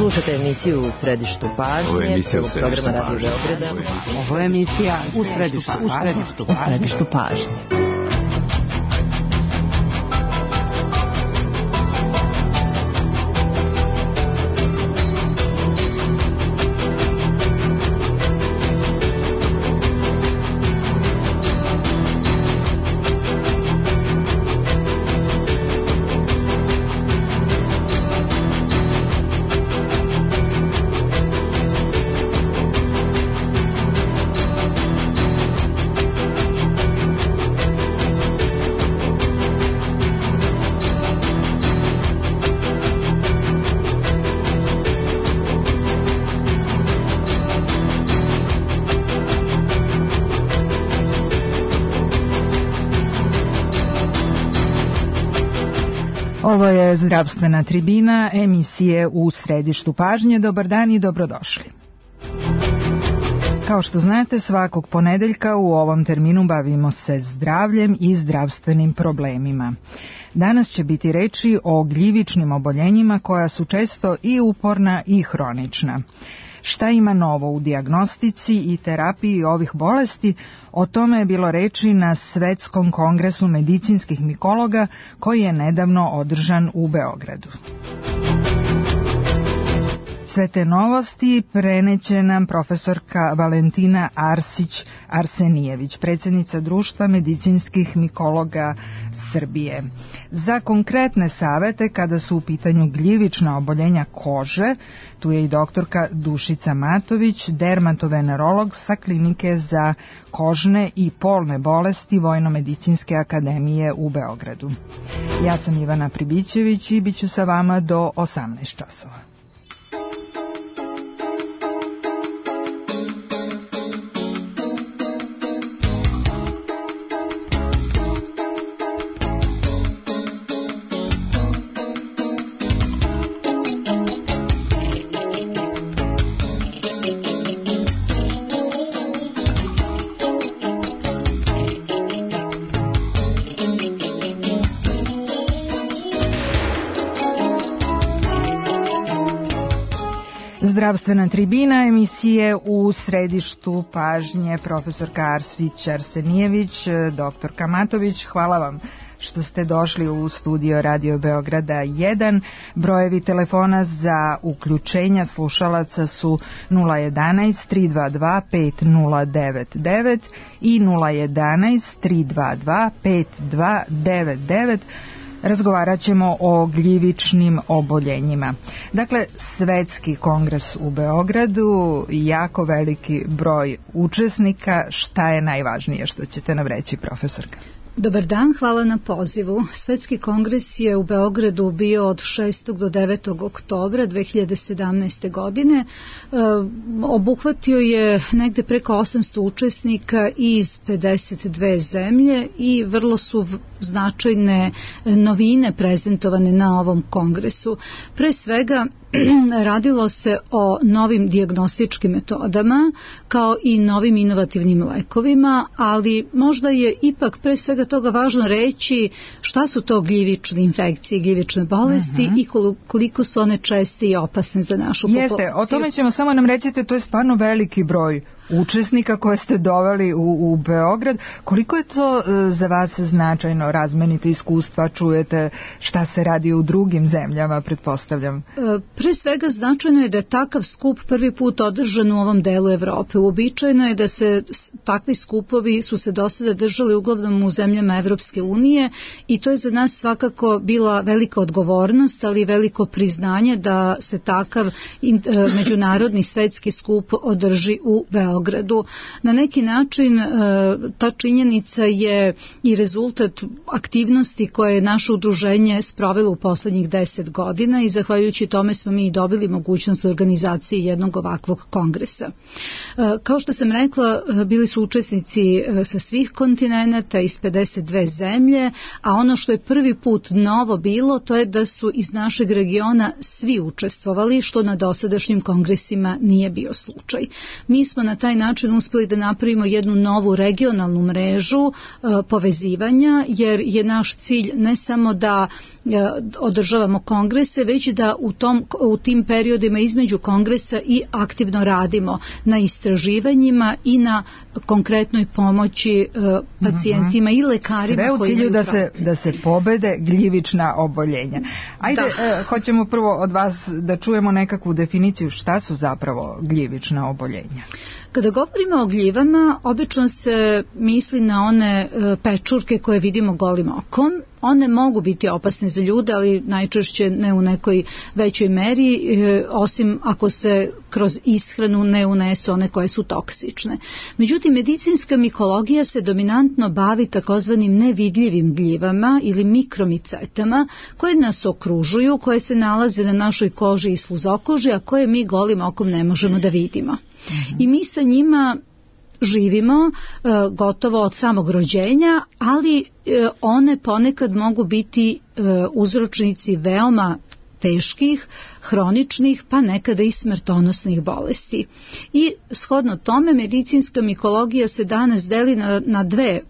Slušate emisiju U središtu pažnje, programa Radio Beograda. Ovo je emisija U središtu pažnje. Ovo je zdravstvena tribina emisije U središtu pažnje. Dobar dan i dobrodošli. Kao što znate, svakog ponedeljka u ovom terminu bavimo se zdravljem i zdravstvenim problemima. Danas će biti reči o gljivičnim oboljenjima koja su često i uporna i hronična. Šta ima novo u dijagnostici i terapiji ovih bolesti? O tome je bilo reči na Svetskom kongresu medicinskih mikologa koji je nedavno održan u Beogradu. Sve te novosti preneće nam profesorka Valentina Arsić-Arsenijević, predsjednica Društva medicinskih mikologa Srbije. Za konkretne savete kada su u pitanju gljivična oboljenja kože, tu je i doktorka Dušica Matović, dermatovenerolog sa Klinike za kožne i polne bolesti Vojno-medicinske akademije u Beogradu. Ja sam Ivana Pribićević i bit ću sa vama do 18 časova. Zdravstvena tribina emisije U središtu pažnje, profesorka Arsić-Arsenijević, doktorka Matović, hvala vam što ste došli u studio Radio Beograda 1. Brojevi telefona za uključenja slušalaca su 011 322 5099 i 011 322 5299. Razgovarat ćemo o gljivičnim oboljenjima. Dakle, Svetski kongres u Beogradu, jako veliki broj učesnika. Šta je najvažnije što ćete nam reći, profesorka? Dobar dan, hvala na pozivu. Svetski kongres je u Beogradu bio od 6. do 9. oktobra 2017. godine. Obuhvatio je negde preko 800 učesnika iz 52 zemlje i vrlo su značajne novine prezentovane na ovom kongresu. Pre svega, radilo se o novim dijagnostičkim metodama kao i novim inovativnim lekovima, ali možda je ipak pre svega toga važno reći šta su to gljivične infekcije, gljivične bolesti i koliko su one česte i opasne za našu populaciju. Jeste, o tome ćemo, samo nam recite, to je stvarno veliki broj učesnika koje ste doveli u Beograd. Koliko je to za vas značajno? Razmenite iskustva, čujete šta se radi u drugim zemljama, pretpostavljam? Pre svega značajno je da je takav skup prvi put održan u ovom delu Evrope. Uobičajeno je da se takvi skupovi su se do sada držali uglavnom u zemljama Evropske unije i to je za nas svakako bila velika odgovornost, ali i veliko priznanje da se takav međunarodni svetski skup održi u Beogradu. Na neki način ta činjenica je i rezultat aktivnosti koje je naše udruženje sprovelo u poslednjih 10 godina i zahvaljujući tome smo mi dobili mogućnost organizacije jednog ovakvog kongresa. Kao što sam rekla, bili su učesnici sa svih kontinenata iz 52 zemlje, a ono što je prvi put novo bilo, to je da su iz našeg regiona svi učestvovali, što na dosadašnjim kongresima nije bio slučaj. Mi smo na taj taj način uspeli da napravimo jednu novu regionalnu mrežu povezivanja, jer je naš cilj ne samo da održavamo kongrese, već da u tim periodima između kongresa i aktivno radimo na istraživanjima i na konkretnoj pomoći pacijentima i lekarima. Sve u cilju da se pobede gljivična oboljenja. Ajde, hoćemo prvo od vas da čujemo nekakvu definiciju šta su zapravo gljivična oboljenja. Kada govorimo o gljivama, obično se misli na one pečurke koje vidimo golim okom. One mogu biti opasne za ljude, ali najčešće ne u nekoj većoj meri, osim ako se kroz ishranu ne unesu one koje su toksične. Međutim, medicinska mikologija se dominantno bavi takozvanim nevidljivim gljivama ili mikromicetama koje nas okružuju, koje se nalaze na našoj koži i sluzokoži, a koje mi golim okom ne možemo da vidimo. I mi sa njima živimo gotovo od samog rođenja, ali one ponekad mogu biti uzročnici veoma teških, hroničnih, pa nekada i smrtonosnih bolesti. I shodno tome medicinska mikologija se danas deli na dve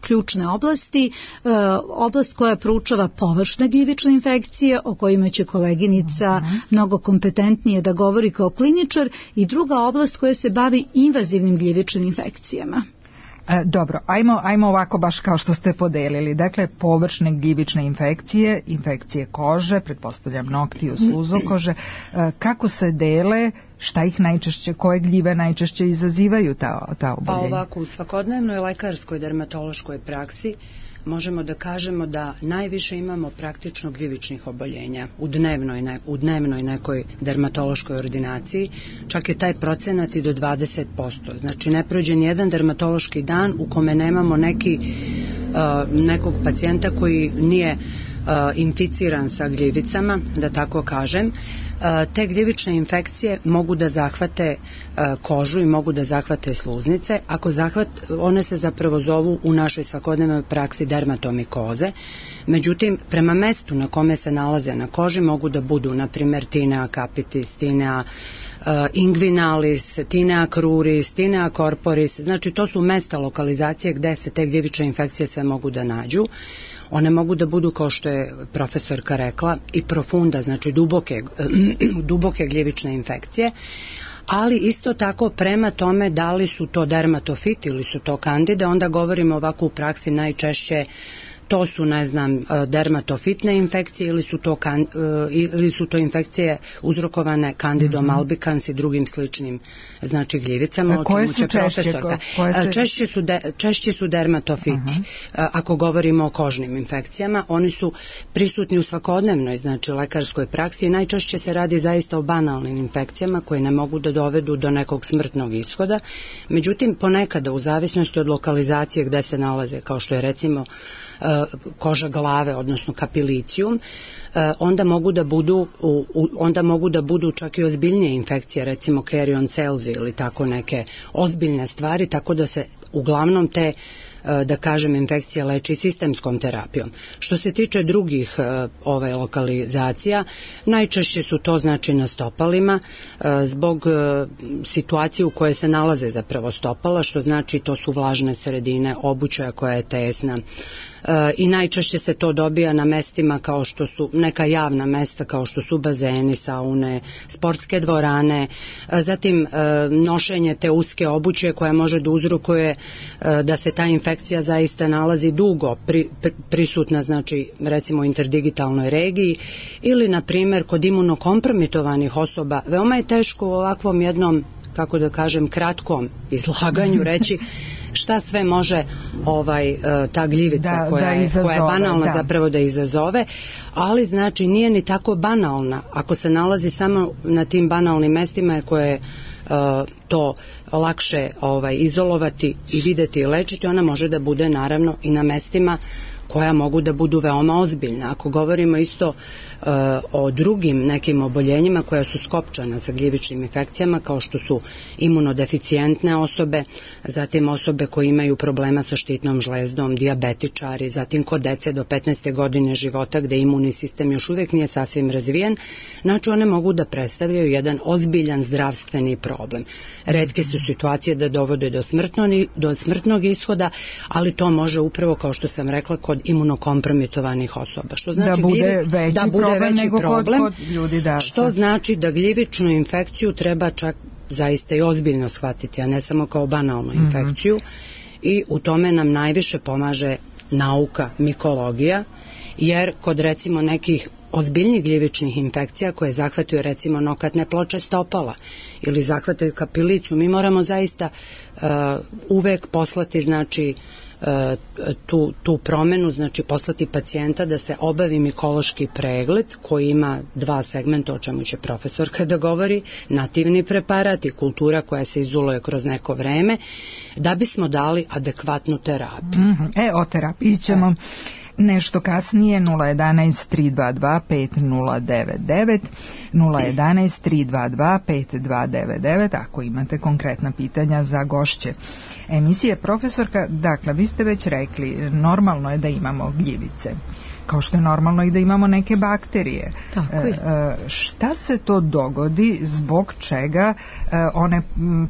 ključne oblasti. Oblast koja proučava površne gljivične infekcije, o kojima će koleginica mnogo kompetentnije da govori kao kliničar, i druga oblast koja se bavi invazivnim gljivičnim infekcijama. Dobro, ajmo ovako baš kao što ste podelili. Dakle, površne gljivične infekcije, infekcije kože, pretpostavljam noktiju, sluzokože, kako se dele, šta ih najčešće, koje gljive najčešće izazivaju ta oboljenja? Pa ovako, u svakodnevnoj lekarskoj dermatološkoj praksi možemo da kažemo da najviše imamo praktično gljivičnih oboljenja u dnevnoj nekoj dermatološkoj ordinaciji, čak je taj procenat i do 20%. Znači ne prođe nijedan dermatološki dan u kome nemamo nekog pacijenta koji nije inficiran sa gljivicama, da tako kažem. Te gljivične infekcije mogu da zahvate kožu i mogu da zahvate sluznice. One se zapravo zovu u našoj svakodnevnoj praksi dermatomikoze. Međutim, prema mestu na kome se nalaze na koži mogu da budu, na primjer, tinea capitis, tinea inguinalis, tinea cruris, tinea corporis. Znači, to su mesta lokalizacije gde se te gljivične infekcije sve mogu da nađu. One mogu da budu, kao što je profesorka rekla, i profunda, znači duboke gljivične infekcije, ali isto tako prema tome da li su to dermatofiti ili su to kandide, onda govorimo ovako u praksi najčešće to su, dermatofitne infekcije ili su to infekcije uzrokovane Candidom albicans i drugim sličnim, znači, gljivicama, o čemu će profesorka. Češće su dermatofiti. Ako govorimo o kožnim infekcijama, oni su prisutni u svakodnevnoj, znači, lekarskoj praksi i najčešće se radi zaista o banalnim infekcijama koje ne mogu da dovedu do nekog smrtnog ishoda. Međutim, ponekada, u zavisnosti od lokalizacije gde se nalaze, kao što je recimo koža glave, odnosno kapilicijum, onda mogu da budu čak i ozbiljnije infekcije, recimo Carion cells ili tako neke ozbiljne stvari, tako da se uglavnom te, da kažem, infekcije leči sistemskom terapijom. Što se tiče drugih lokalizacija, najčešće su to, znači, na stopalima, zbog situacije u kojoj se nalaze zapravo stopala, što znači to su vlažne sredine, obuća koja je tesna, i najčešće se to dobija na mestima kao što su neka javna mesta, kao što su bazeni, saune, sportske dvorane, zatim nošenje te uske obuće koja može da uzrokuje da se ta infekcija zaista nalazi dugo prisutna, znači, recimo u interdigitalnoj regiji, ili na primjer kod imunokompromitovanih osoba. Veoma je teško u ovakvom jednom, kako da kažem, kratkom izlaganju reći šta sve može ta gljivica koja je banalna zapravo da izazove, ali znači nije ni tako banalna. Ako se nalazi samo na tim banalnim mestima koje je to lakše izolovati i videti i lečiti, ona može da bude naravno i na mestima koja mogu da budu veoma ozbiljna. Ako govorimo isto o drugim nekim oboljenjima koja su skopčana sa gljivičnim infekcijama, kao što su imunodeficijentne osobe, zatim osobe koje imaju problema sa štitnom žlezdom, dijabetičari, zatim kod dece do 15. godine života gde imunni sistem još uvek nije sasvim razvijen, znači one mogu da predstavljaju jedan ozbiljan zdravstveni problem. Retke su situacije da dovode do smrtnog ishoda, ali to može upravo, kao što sam rekla, kod imunokompromitovanih osoba. Što znači da bude veći problem, kod ljudi, što znači da gljivičnu infekciju treba čak zaista i ozbiljno shvatiti, a ne samo kao banalnu infekciju, i u tome nam najviše pomaže nauka, mikologija, jer kod recimo nekih ozbiljnih gljivičnih infekcija koje zahvataju recimo nokatne ploče stopala ili zahvataju kapilicu, mi moramo zaista uvek poslati znači tu promenu, znači poslati pacijenta da se obavi mikološki pregled koji ima dva segmenta, o čemu će profesor kada govori, nativni preparat i kultura koja se izoluje kroz neko vreme, da bismo dali adekvatnu terapiju. O terapiji ćemo nešto kasnije. 011-322-5099 011-322-5299 ako imate konkretna pitanja za gošće emisije. Profesorka, dakle, vi ste već rekli, normalno je da imamo gljivice, kao što je normalno i da imamo neke bakterije. Tako je. Šta se to dogodi, zbog čega one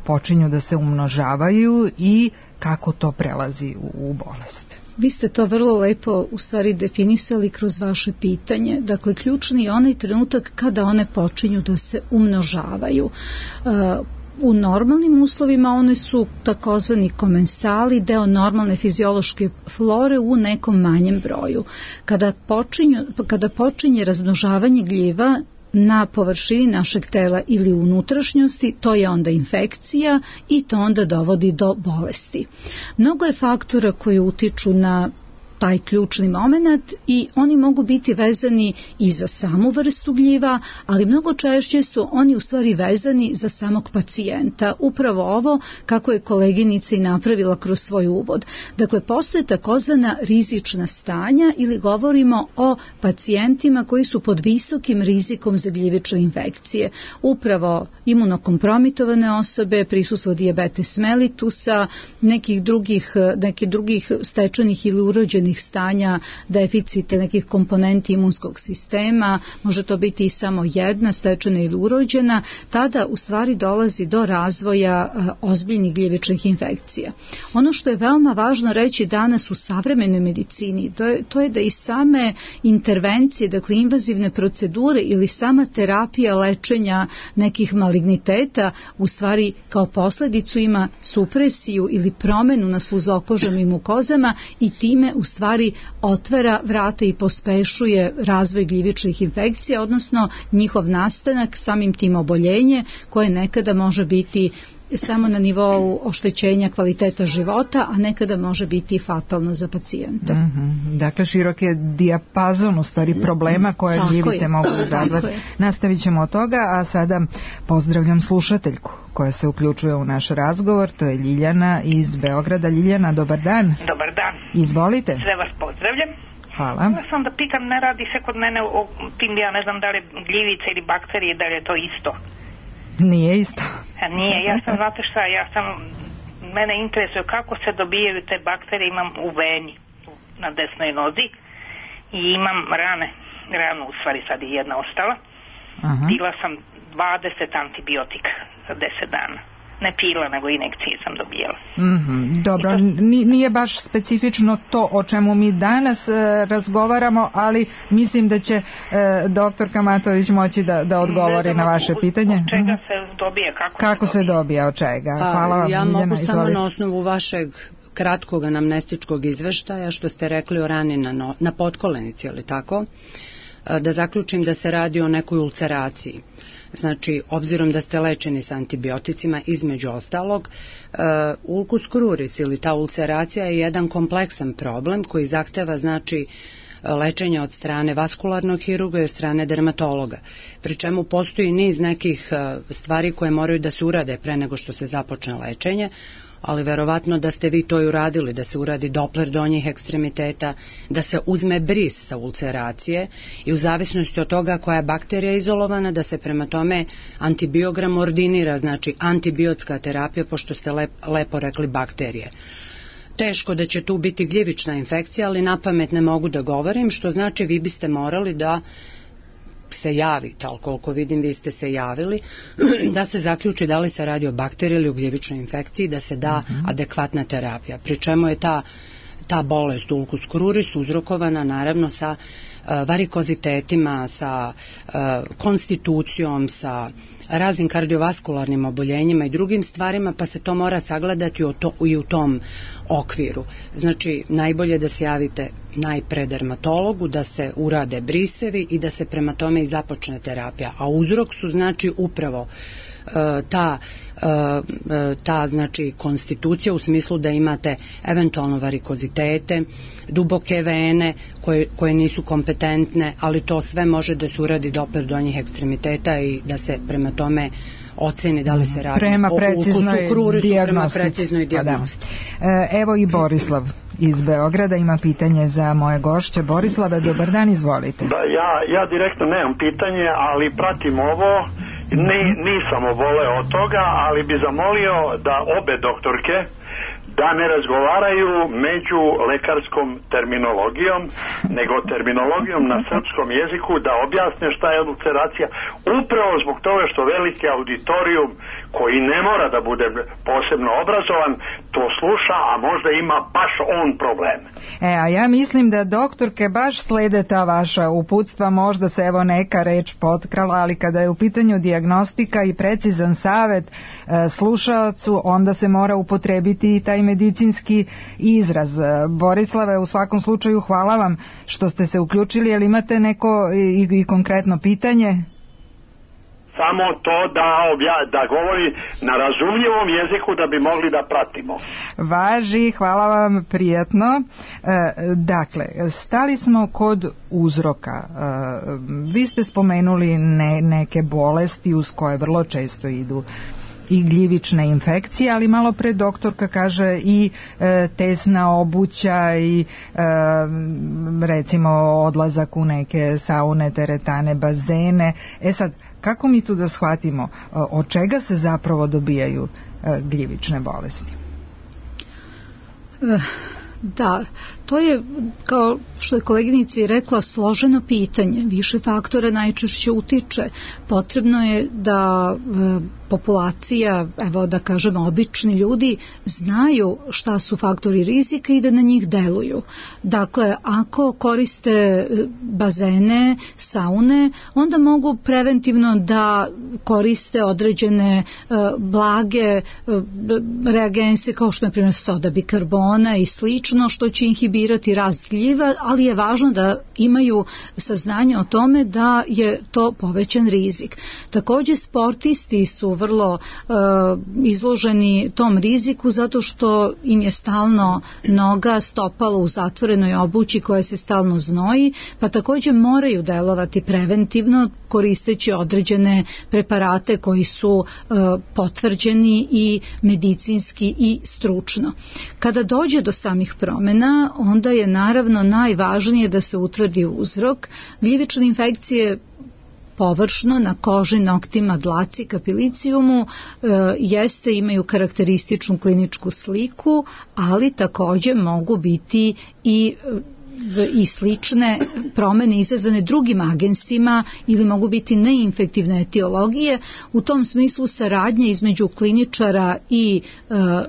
počinju da se umnožavaju i kako to prelazi u bolest? Vi ste to vrlo lepo u stvari definisali kroz vaše pitanje. Dakle, ključni je onaj trenutak kada one počinju da se umnožavaju. U normalnim uslovima one su takozvani komensali, deo normalne fiziološke flore u nekom manjem broju. Kada počinje razmnožavanje gljiva na površini našeg tela ili unutrašnjosti, to je onda infekcija i to onda dovodi do bolesti. Mnogo je faktora koji utiču na taj ključni moment i oni mogu biti vezani i za samu vrstu gljiva, ali mnogo češće su oni u stvari vezani za samog pacijenta. Upravo ovo kako je koleginica i napravila kroz svoj uvod. Dakle, postoje takozvana rizična stanja ili govorimo o pacijentima koji su pod visokim rizikom za gljivične infekcije. Upravo imunokompromitovane osobe, prisustvo dijabetes mellitusa, nekih drugih stečenih ili urođenih stanja, deficite nekih komponenti imunskog sistema, može to biti i samo jedna stečena ili urođena, tada u stvari dolazi do razvoja ozbiljnih gljivičnih infekcija. Ono što je veoma važno reći danas u savremenoj medicini, to je da i same intervencije, dakle invazivne procedure ili sama terapija lečenja nekih maligniteta u stvari kao posledicu ima supresiju ili promenu na sluzokožama i mukozama i time u stvari otvara vrata i pospešuje razvoj gljivičnih infekcija, odnosno njihov nastanak, samim tim oboljenje koje nekada može biti samo na nivou oštećenja kvaliteta života, a nekada može biti fatalno za pacijenta. Dakle, širok je dijapazon u stvari problema koje gljivice mogu izazvati. Nastavit ćemo od toga, a sada pozdravljam slušateljku koja se uključuje u naš razgovor, to je Ljiljana iz Beograda. Ljiljana, dobar dan. Dobar dan. Izvolite. Sve vas pozdravljam. Hvala. Ja sam da pitam, ne radi se kod mene o tim, ja ne znam da li gljivice ili bakterije, da li je to isto. Nije isto. Nije, ja sam, znate šta, mene interesuje kako se dobijaju te bakterije, imam u veni na desnoj nozi i imam ranu u stvari, sad je jedna ostala. Pila sam 20 antibiotika za 10 dana. Ne pila, nego injekcije sam dobijala. Dobro, nije baš specifično to o čemu mi danas razgovaramo, ali mislim da će doktor Kamatović moći da odgovori na vaše pitanje. Od čega se dobije, kako se dobije, od čega? Hvala vam, ja Ljiljana, mogu samo na osnovu vašeg kratkog anamnestičkog izveštaja, što ste rekli o rani na potkolenici, ali tako, da zaključim da se radi o nekoj ulceraciji. Znači, obzirom da ste lečeni sa antibioticima, između ostalog, ulcus cruris ili ta ulceracija je jedan kompleksan problem koji zahteva, znači, lečenje od strane vaskularnog hirurga i od strane dermatologa. Pri čemu postoji niz nekih stvari koje moraju da se urade pre nego što se započne lečenje. ali verovatno da ste vi to i uradili, da se uradi Doppler donjih ekstremiteta, da se uzme bris sa ulceracije i u zavisnosti od toga koja je bakterija izolovana, da se prema tome antibiogram ordinira, znači antibiotska terapija, pošto ste lepo rekli bakterije. Teško da će tu biti gljivična infekcija, ali napamet ne mogu da govorim, što znači vi biste morali da se javite, ali koliko vidim vi ste se javili, da se zaključi da li se radi o bakteriji ili o gljivičnoj infekciji, da se da adekvatna terapija. Pri čemu je ta bolest ulcus cruris uzrokovana naravno sa varikozitetima, sa konstitucijom, sa raznim kardiovaskularnim oboljenjima i drugim stvarima, pa se to mora sagledati i u tom okviru. Znači, najbolje da se javite najpre dermatologu, da se urade brisevi i da se prema tome i započne terapija. A uzrok su znači upravo ta znači konstitucija u smislu da imate eventualno varikozitete, duboke vene koje nisu kompetentne, ali to sve može da se uradi Doppler donjih ekstremiteta i da se prema tome oceni da li se radi o ulcusu crurisu prema preciznoj dijagnostici. Evo i Borislav iz Beograda ima pitanje za moje gošće. Borislave, dobar dan, izvolite. Da, ja direktno nemam pitanje, ali pratim ovo. Nisam oboleo od toga, ali bi zamolio da obe doktorke da ne razgovaraju među lekarskom terminologijom, nego terminologijom na srpskom jeziku, da objasne šta je ulceracija, upravo zbog toga što veliki auditorijum koji ne mora da bude posebno obrazovan to sluša, a možda ima baš on problem. A ja mislim da doktorke baš slede ta vaša uputstva, možda se evo neka reč potkrala, ali kada je u pitanju dijagnostika i precizan savet slušaocu, onda se mora upotrebiti i taj medicinski izraz. Borislave, u svakom slučaju hvala vam što ste se uključili, ali imate neko i konkretno pitanje? Samo to da govori na razumljivom jeziku da bi mogli da pratimo. Važi, hvala vam, prijatno. Dakle, stali smo kod uzroka. Vi ste spomenuli neke bolesti uz koje vrlo često idu i gljivične infekcije, ali malo pre doktorka kaže i tesna obuća i recimo odlazak u neke saune, teretane, bazene. Sad, kako mi tu da shvatimo od čega se zapravo dobijaju gljivične bolesti? Da, to je, kao što je koleginica rekla, složeno pitanje. Više faktora najčešće utiče. Potrebno je da populacija, evo da kažemo obični ljudi, znaju šta su faktori rizika i da na njih deluju. Dakle, ako koriste bazene, saune, onda mogu preventivno da koriste određene blage reagense kao što je primjer soda bikarbona i slično, što će inhibirati rast gljiva, ali je važno da imaju saznanje o tome da je to povećan rizik. Također sportisti su vrlo izloženi tom riziku zato što im je stalno noga, stopalo u zatvorenoj obući koja se stalno znoji, pa također moraju delovati preventivno koristeći određene preparate koji su potvrđeni i medicinski i stručno. Kada dođe do samih promjena, onda je naravno najvažnije da se utvrdi uzrok. Gljivične infekcije površno na koži, noktima, dlaci, kapilicijumu imaju karakterističnu kliničku sliku, ali također mogu biti i slične promjene izazvane drugim agensima ili mogu biti neinfektivne etiologije. U tom smislu saradnja između kliničara i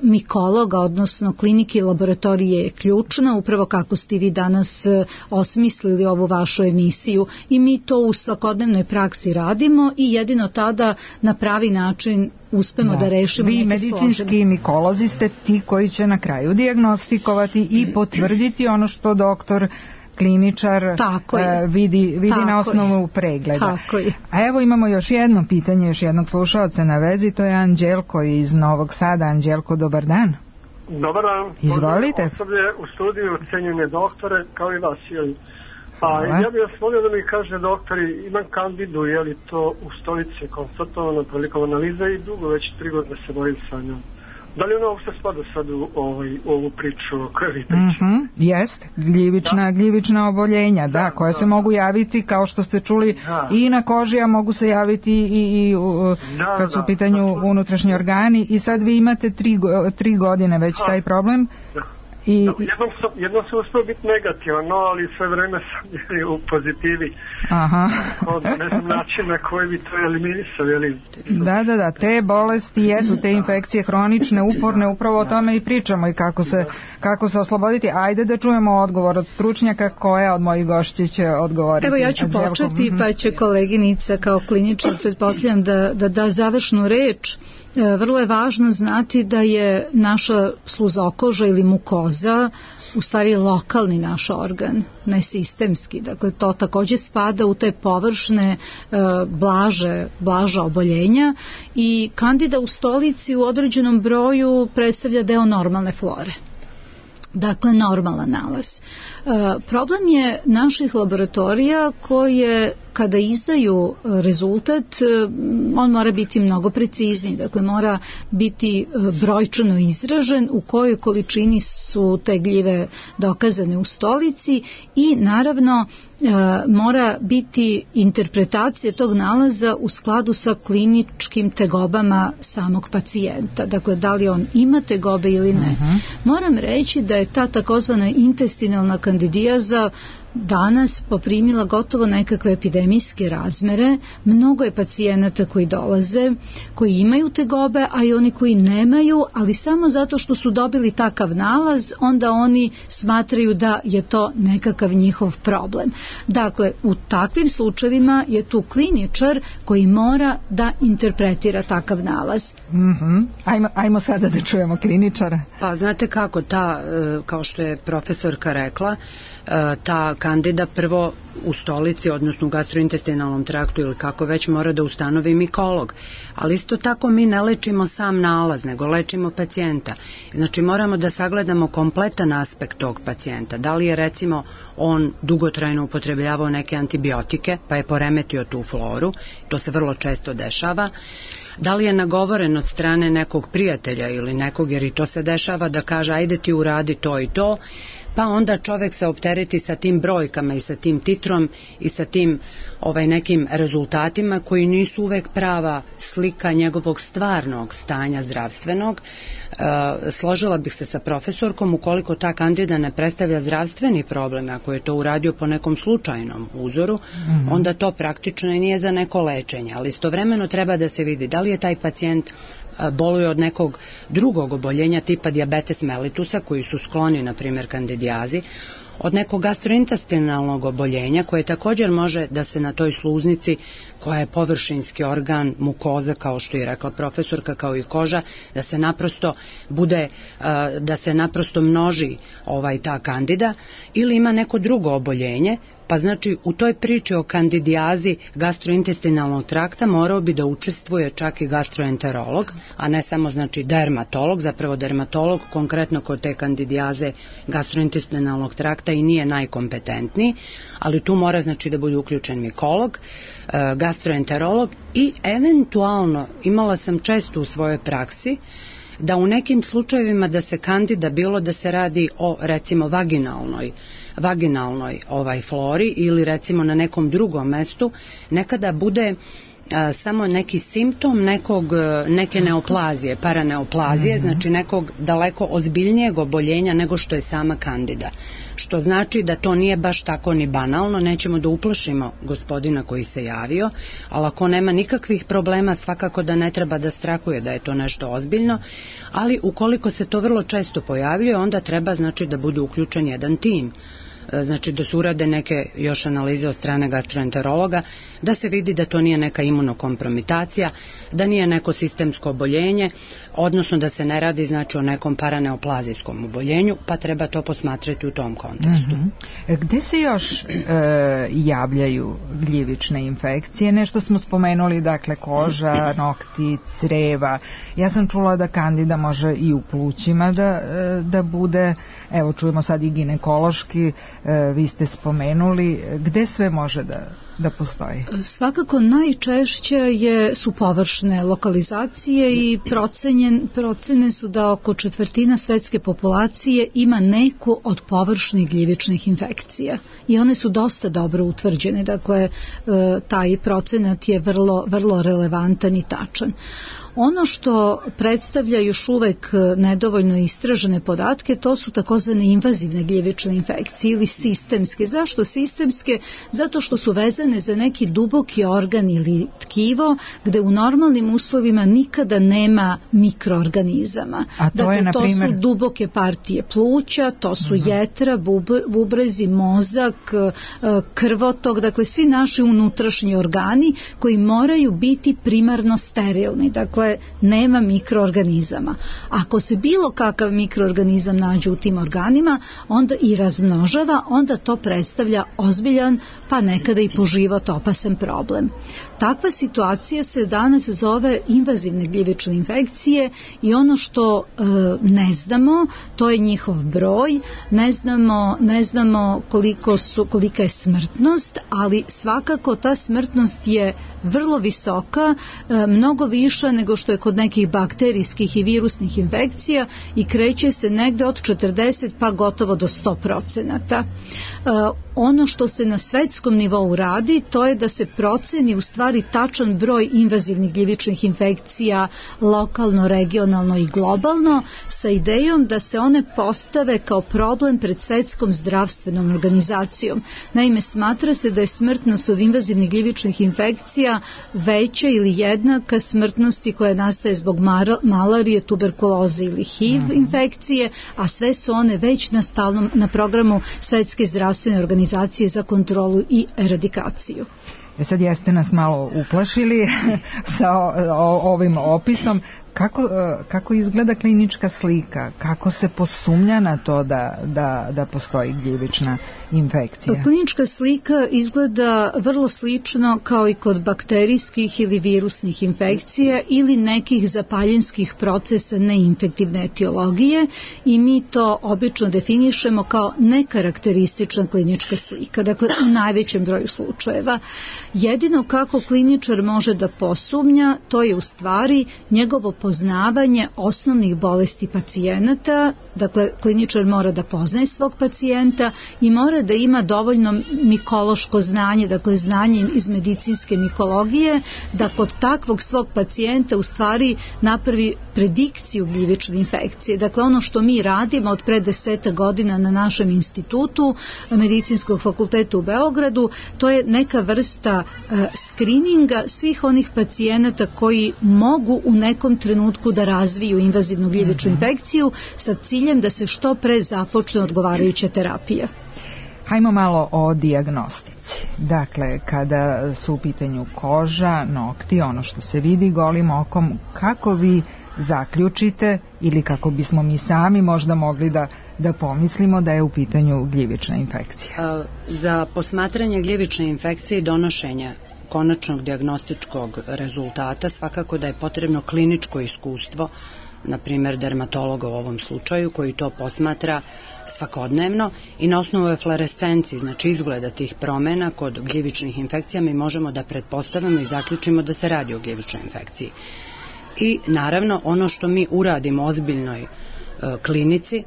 mikologa, odnosno klinike i laboratorije je ključna, upravo kako ste vi danas osmislili ovu vašu emisiju, i mi to u svakodnevnoj praksi radimo i jedino tada na pravi način uspemo da rešimo neke složene. Vi medicinski mikolozi ste ti koji će na kraju dijagnostikovati i potvrditi ono što doktor kliničar vidi na osnovu pregleda. A evo imamo još jedno pitanje, još jednog slušaoca na vezi, to je Anđelko iz Novog Sada. Anđelko, dobar dan. Dobar dan. Izvolite. Osoblje u studiju, cenjene doktore, kao i vas. Ja bih vas molio da mi kaže, doktori, imam kandidu, je li to u stolici konstatovano prilikom analize i dugo, već 3 godine se borim sa njom. Da li ono uopšte spada sad u ovu priču koju vi pričate? Jest, gljivična oboljenja, da, koja se mogu javiti, kao što ste čuli, i na koži, a mogu se javiti i kad su u pitanju unutrašnji organi. I sad vi imate 3 godine već taj problem. Jednom sam uspio biti negativan, ali sve vreme sam u pozitivi. Ne znam način na koji bi to eliminisali. Da, te bolesti jesu, te infekcije hronične, uporne, upravo o tome i pričamo i kako se osloboditi. Ajde da čujemo odgovor od stručnjaka. Koja od mojih gošća će odgovoriti? Evo, ja ću početi, pa će koleginica kao kliničar, pretpostavljam da završnu reč. Vrlo je važno znati da je naša sluzokoža ili mukoza u stvari lokalni naš organ, ne sistemski. Dakle, to takođe spada u te površne, blaža oboljenja i kandida u stolici u određenom broju predstavlja deo normalne flore. Dakle, normalan nalaz. Problem je naših laboratorija koje kada izdaju rezultat, on mora biti mnogo precizniji, dakle mora biti brojčano izražen u kojoj količini su te gljive dokazane u stolici i naravno mora biti interpretacija tog nalaza u skladu sa kliničkim tegobama samog pacijenta, dakle da li on ima tegobe ili ne. Moram reći da je ta takozvana intestinalna kandidijaza danas poprimila gotovo nekakve epidemijske razmere. Mnogo je pacijenata koji dolaze, koji imaju tegobe, a i oni koji nemaju, ali samo zato što su dobili takav nalaz, onda oni smatraju da je to nekakav njihov problem. Dakle, u takvim slučajevima je tu kliničar koji mora da interpretira takav nalaz. Ajmo sada da čujemo kliničara. Pa znate kako, kao što je profesorka rekla, ta kandida prvo u stolici, odnosno u gastrointestinalnom traktu ili kako već, mora da ustanovi mikolog. Ali isto tako mi ne lečimo sam nalaz, nego lečimo pacijenta. Znači moramo da sagledamo kompletan aspekt tog pacijenta. Da li je recimo on dugotrajno upotrebljavao neke antibiotike pa je poremetio tu floru, to se vrlo često dešava. Da li je nagovoren od strane nekog prijatelja ili nekog, jer i to se dešava, da kaže ajde ti uradi to i to, pa onda čovek se optereti sa tim brojkama i sa tim titrom i sa tim nekim rezultatima koji nisu uvek prava slika njegovog stvarnog stanja zdravstvenog. Složila bih se sa profesorkom, ukoliko ta kandida ne predstavlja zdravstveni problem, ako je to uradio po nekom slučajnom uzoru, onda to praktično i nije za neko lečenje, ali istovremeno treba da se vidi da li je taj pacijent boluje od nekog drugog oboljenja tipa dijabetes mellitusa, koji su skloni, na primjer, kandidijazi, od nekog gastrointestinalnog oboljenja koje također može da se na toj sluznici, koja je površinski organ, mukoza, kao što je rekla profesorka, kao i koža, da se naprosto množi ta kandida, ili ima neko drugo oboljenje. Pa znači u toj priči o kandidijazi gastrointestinalnog trakta morao bi da učestvuje čak i gastroenterolog, a ne samo znači dermatolog. Zapravo dermatolog konkretno kod te kandidijaze gastrointestinalnog trakta i nije najkompetentniji, ali tu mora znači da bude uključen mikolog, gastroenterolog i eventualno, imala sam često u svojoj praksi, da u nekim slučajevima da se kandida, bilo da se radi o recimo vaginalnoj flori ili recimo na nekom drugom mestu, nekada bude samo neki simptom neke neoplazije, paraneoplazije, znači nekog daleko ozbiljnijeg oboljenja nego što je sama kandida. Što znači da to nije baš tako ni banalno, nećemo da uplašimo gospodina koji se javio, ali ako nema nikakvih problema, svakako da ne treba da strahuje da je to nešto ozbiljno, ali ukoliko se to vrlo često pojavljuje, onda treba znači da bude uključen jedan tim. Znači da se urade neke još analize od strane gastroenterologa, da se vidi da to nije neka imunokompromitacija, da nije neko sistemsko oboljenje, odnosno da se ne radi znači o nekom paraneoplazijskom oboljenju, pa treba to posmatrati u tom kontekstu. Gde se još javljaju gljivične infekcije? Nešto smo spomenuli, dakle koža, nokti, creva. Ja sam čula da kandida može i u plućima da bude, evo čujemo sad i ginekološki vi ste spomenuli, gde sve može da postoji? Svakako najčešće su površne lokalizacije i procene su da oko četvrtina svetske populacije ima neku od površnih gljivičnih infekcija i one su dosta dobro utvrđene, dakle taj procenat je vrlo relevantan i tačan. Ono što predstavlja još uvek nedovoljno istražene podatke, to su takozvane invazivne gljivične infekcije ili sistemske. Zašto sistemske? Zato što su vezane za neki duboki organ ili tkivo gde u normalnim uslovima nikada nema mikroorganizama. A to je, to su duboke partije pluća, to su jetra, bubrezi, mozak, krvotok, dakle svi naši unutrašnji organi koji moraju biti primarno sterilni. Dakle, nema mikroorganizama. Ako se bilo kakav mikroorganizam nađe u tim organima, onda i razmnožava, onda to predstavlja ozbiljan, pa nekada i po život opasan problem. Takva situacija se danas zove invazivne gljivične infekcije i ono što ne znamo, to je njihov broj, ne znamo kolika je smrtnost, ali svakako ta smrtnost je vrlo visoka, mnogo viša nego što je kod nekih bakterijskih i virusnih infekcija i kreće se negde od 40 pa gotovo do 100%. Ono što se na svetskom nivou radi, to je da se proceni u stvari tačan broj invazivnih gljivičnih infekcija lokalno, regionalno i globalno sa idejom da se one postave kao problem pred Svetskom zdravstvenom organizacijom. Naime, smatra se da je smrtnost od invazivnih gljivičnih infekcija veća ili jednaka smrtnosti koja nastaje zbog malarije, tuberkuloze ili HIV infekcije, a sve su one već na programu Svetske zdravstvene organizacije za kontrolu i eradikaciju. Sad jeste nas malo uplašili sa ovim opisom. Kako izgleda klinička slika? Kako se posumnja na to da postoji gljivična infekcija? Klinička slika izgleda vrlo slično kao i kod bakterijskih ili virusnih infekcija ili nekih zapaljenskih procesa neinfektivne etiologije i mi to obično definišemo kao nekarakteristična klinička slika, dakle u najvećem broju slučajeva. Jedino kako kliničar može da posumnja, to je u stvari njegovo poznavanje osnovnih bolesti pacijenata, dakle kliničar mora da poznaje svog pacijenta i mora da ima dovoljno mikološko znanje, dakle znanje iz medicinske mikologije, da kod takvog svog pacijenta u stvari napravi predikciju gljivične infekcije. Dakle, ono što mi radimo od pre 10 godina na našem institutu Medicinskog fakulteta u Beogradu, to je neka vrsta skrininga svih onih pacijenata koji mogu u nekom trenutku da razviju invazivnu gljivičnu infekciju sa ciljem da se što pre započne odgovarajuća terapija. Hajmo malo o dijagnostici. Dakle, kada su u pitanju koža, nokti, ono što se vidi golim okom, kako vi zaključite ili kako bismo mi sami možda mogli da pomislimo da je u pitanju gljivična infekcija? Za posmatranje gljivične infekcije i donošenja konačnog dijagnostičkog rezultata svakako da je potrebno kliničko iskustvo, na primjer dermatologa u ovom slučaju, koji to posmatra svakodnevno i na osnovu eflorescencije, znači izgleda tih promjena kod gljivičnih infekcija, mi možemo da pretpostavimo i zaključimo da se radi o gljivičnoj infekciji. I naravno ono što mi uradimo u ozbiljnoj klinici,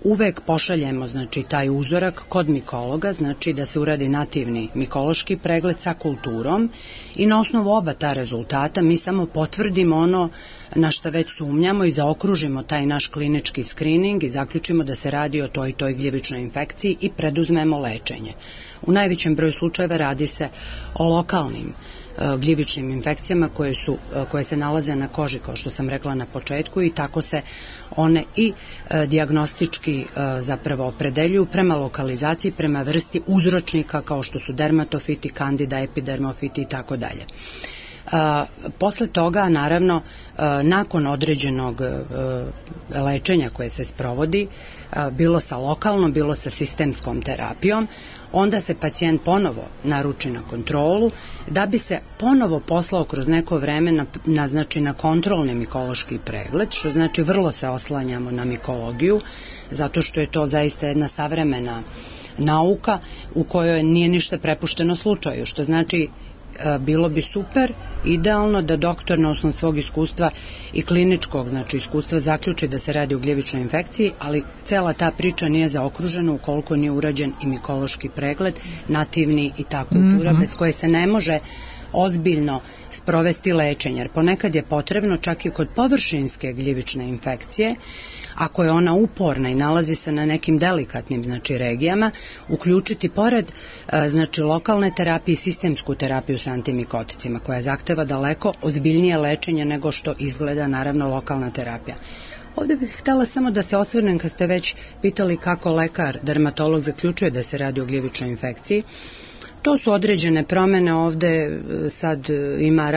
uvek pošaljemo znači taj uzorak kod mikologa, znači da se uradi nativni mikološki pregled sa kulturom i na osnovu oba ta rezultata mi samo potvrdimo ono na što već sumnjamo i zaokružimo taj naš klinički skrining i zaključimo da se radi o toj gljivičnoj infekciji i preduzmemo lečenje. U najvećem broju slučajeva radi se o lokalnim gljivičnim infekcijama koje se nalaze na koži, kao što sam rekla na početku, i tako se one i dijagnostički zapravo opredeljuju prema lokalizaciji, prema vrsti uzročnika kao što su dermatofiti, kandida, epidermofiti i tako dalje. Posle toga, naravno, nakon određenog lečenja koje se sprovodi, bilo sa lokalnom, bilo sa sistemskom terapijom, onda se pacijent ponovo naruči na kontrolu da bi se ponovo poslao kroz neko vreme na kontrolni mikološki pregled, što znači vrlo se oslanjamo na mikologiju, zato što je to zaista jedna savremena nauka u kojoj nije ništa prepušteno slučaju, što znači bilo bi super, idealno da doktor na osnovu svog iskustva i kliničkog, znači iskustva, zaključi da se radi o gljivičnoj infekciji, ali cela ta priča nije zaokružena ukoliko nije urađen i mikološki pregled, nativni i ta kultura, bez koje se ne može ozbiljno sprovesti lečenje, jer ponekad je potrebno čak i kod površinske gljivične infekcije, ako je ona uporna i nalazi se na nekim delikatnim, znači, regijama, uključiti pored, znači, lokalne terapije i sistemsku terapiju sa antimikoticima, koja zahteva daleko ozbiljnije lečenje nego što izgleda, naravno, lokalna terapija. Ovdje bih htjela samo da se osvrnem, kad ste već pitali kako lekar, dermatolog zaključuje da se radi o gljivičnoj infekciji. To su određene promjene, ovdje sad ima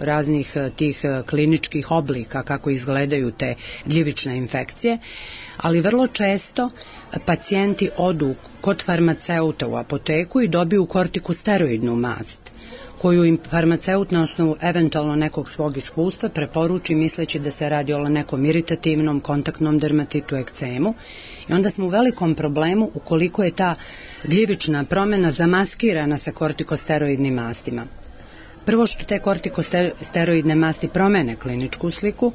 raznih tih kliničkih oblika kako izgledaju te gljivične infekcije, ali vrlo često pacijenti odu kod farmaceuta u apoteku i dobiju kortikosteroidnu mast, koju im farmaceut na osnovu eventualno nekog svog iskustva preporuči misleći da se radi o nekom iritativnom, kontaktnom dermatitu, ekcemu, i onda smo u velikom problemu ukoliko je ta gljivična promjena zamaskirana sa kortikosteroidnim mastima. Prvo što te kortikosteroidne masti promene kliničku sliku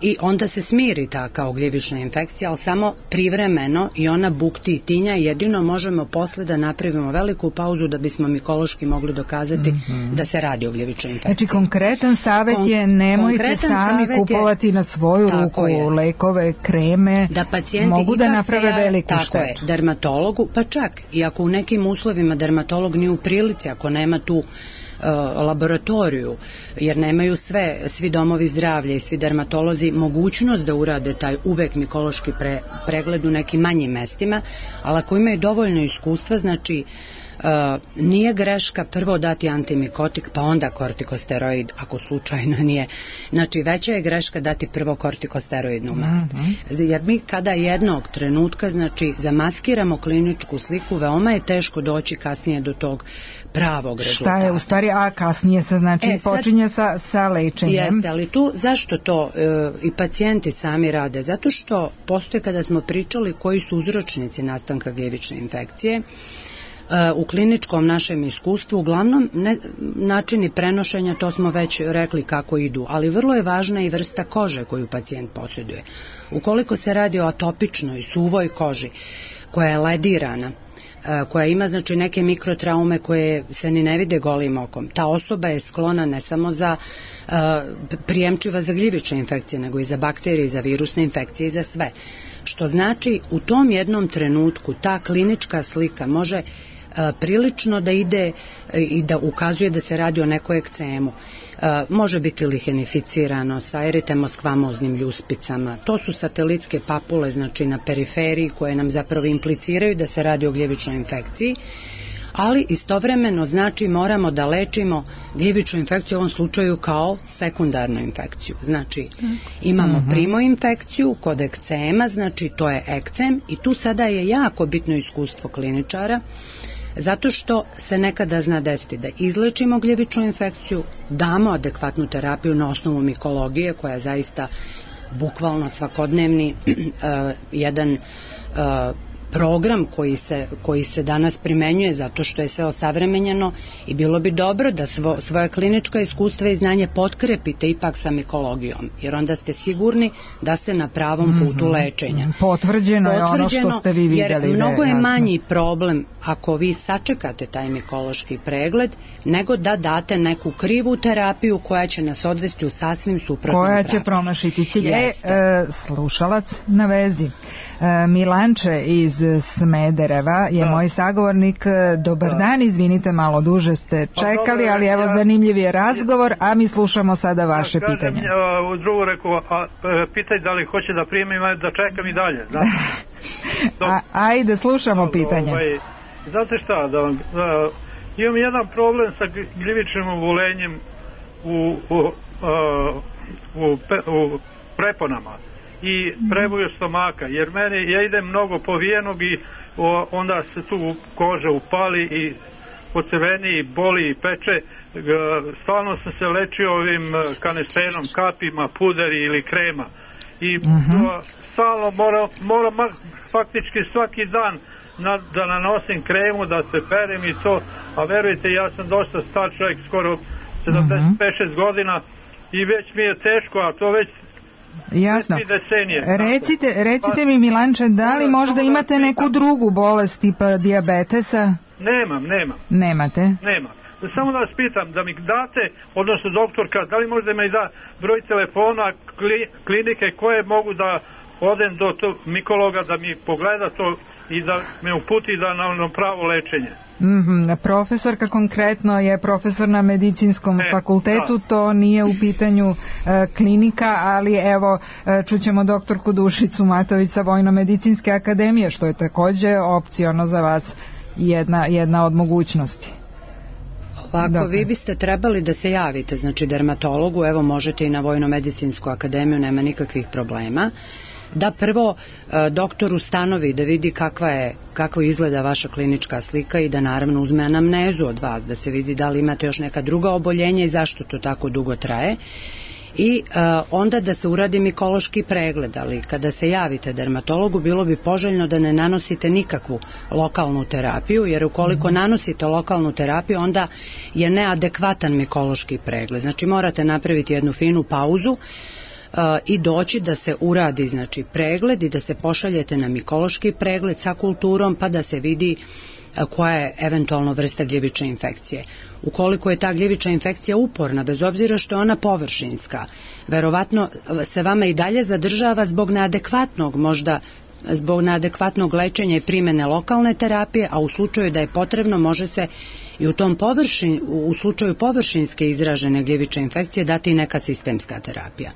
i onda se smiri ta kao gljivična infekcija, ali samo privremeno, i ona bukti i tinja, i jedino možemo posle da napravimo veliku pauzu da bismo mikološki mogli dokazati da se radi o gljivičnoj infekciji. Znači konkretan savjet je nemojte sami kupovati na svoju ruku lekove, kreme, da pacijenti mogu da naprave veliku štetu. Tako je, dermatologu, pa čak i ako u nekim uslovima dermatolog nije u prilici, ako nema tu laboratoriju, jer nemaju svi domovi zdravlja i svi dermatolozi mogućnost da urade taj uvek mikološki pregled u nekim manjim mestima, ali ako imaju dovoljno iskustva, znači nije greška prvo dati antimikotik pa onda kortikosteroid ako slučajno nije. Znači veća je greška dati prvo kortikosteroidnu mast. Jer mi kada jednog trenutka, znači, zamaskiramo kliničku sliku, veoma je teško doći kasnije do tog pravog rezultata. Šta je u stvari, a kasnije se znači počinje sa lečenjem. Jeste, ali tu zašto to i pacijenti sami rade? Zato što postoje, kada smo pričali koji su uzročnici nastanka gljivične infekcije, u kliničkom našem iskustvu uglavnom načini prenošenja, to smo već rekli kako idu, ali vrlo je važna i vrsta kože koju pacijent posjeduje. Ukoliko se radi o atopičnoj, suvoj koži koja je ledirana, koja ima, znači, neke mikrotraume koje se ni ne vide golim okom, ta osoba je sklona ne samo za prijemčiva za gljivične infekcije, nego i za bakterije, i za virusne infekcije i za sve. Što znači u tom jednom trenutku ta klinička slika može prilično da ide i da ukazuje da se radi o nekoj ekcemu. Može biti lihenificirano sa eritemoskvamoznim ljuspicama. To su satelitske papule, znači na periferiji, koje nam zapravo impliciraju da se radi o gljivičnoj infekciji, ali istovremeno, znači, moramo da lečimo gljivičnu infekciju u ovom slučaju kao sekundarnu infekciju. Znači, imamo primo infekciju kod ekcema, znači to je ekcem, i tu sada je jako bitno iskustvo kliničara, zato što se nekada zna desiti da izlečimo gljivičnu infekciju, damo adekvatnu terapiju na osnovu mikologije, koja je zaista bukvalno svakodnevni jedan program koji se danas primenjuje, zato što je sve osavremenjeno, i bilo bi dobro da svoje kliničko iskustvo i znanje potkrepite ipak sa mikologijom, jer onda ste sigurni da ste na pravom putu lečenja. Potvrđeno je ono što ste vi vidjeli. Jer mnogo je manji problem ako vi sačekate taj mikološki pregled, nego da date neku krivu terapiju koja će nas odvesti u sasvim suprotnom pravcu. Koja će promašiti cilj. Slušalac na vezi. Milanče iz Smedereva je moj sagovornik. Dobar dan, izvinite, malo duže ste čekali, ali evo, zanimljiv je razgovor, a mi slušamo sada vaše pitanje. U drugu reku, pitaj da li hoće da primim, da čekam i dalje. Ajde, slušamo pitanje. Znate šta, imam jedan problem sa gljivičnim obolenjem u preponama i prevoju stomaka, jer ja idem mnogo povijenog i onda se tu koža upali i pocrveni i boli i peče. Stalno sam se lečio ovim kanestenom, kapima, puderi ili krema i stalno moram faktički svaki dan da nanosim kremu, da se perem i to, a verujte, ja sam dosta star čovjek, skoro 75-6 godina i već mi je teško, a to već jasno. Recite mi, Milanče, da li možda imate neku drugu bolest tipa dijabetesa? Nemam. Nemate? Nemam. Samo da vas pitam, da mi date, odnosno doktorka, da li možda mi da broj telefona klinike koje mogu da odem do tog mikologa da mi pogleda to i da me uputi na pravo lečenje. Profesorka konkretno je profesor na medicinskom fakultetu, to nije u pitanju klinika, ali evo čućemo doktorku Dušicu Matović sa Vojno-medicinske akademije, što je takođe opciono za vas, jedna od mogućnosti. Ovako, vi biste trebali da se javite, znači dermatologu, evo možete i na Vojno-medicinsku akademiju, nema nikakvih problema, da prvo doktor ustanovi, da vidi kako izgleda vaša klinička slika i da naravno uzme anamnezu od vas, da se vidi da li imate još neka druga oboljenja i zašto to tako dugo traje. I onda da se uradi mikološki pregled, ali kada se javite dermatologu bilo bi poželjno da ne nanosite nikakvu lokalnu terapiju, jer ukoliko nanosite lokalnu terapiju onda je neadekvatan mikološki pregled. Znači morate napraviti jednu finu pauzu i doći da se uradi znači pregled i da se pošaljete na mikološki pregled sa kulturom pa da se vidi koja je eventualno vrsta gljivične infekcije. Ukoliko je ta gljivična infekcija uporna, bez obzira što je ona površinska, verovatno se vama i dalje zadržava zbog neadekvatnog lečenja i primene lokalne terapije, a u slučaju da je potrebno može se i u slučaju površinske izražene gljivične infekcije dati neka sistemska terapija.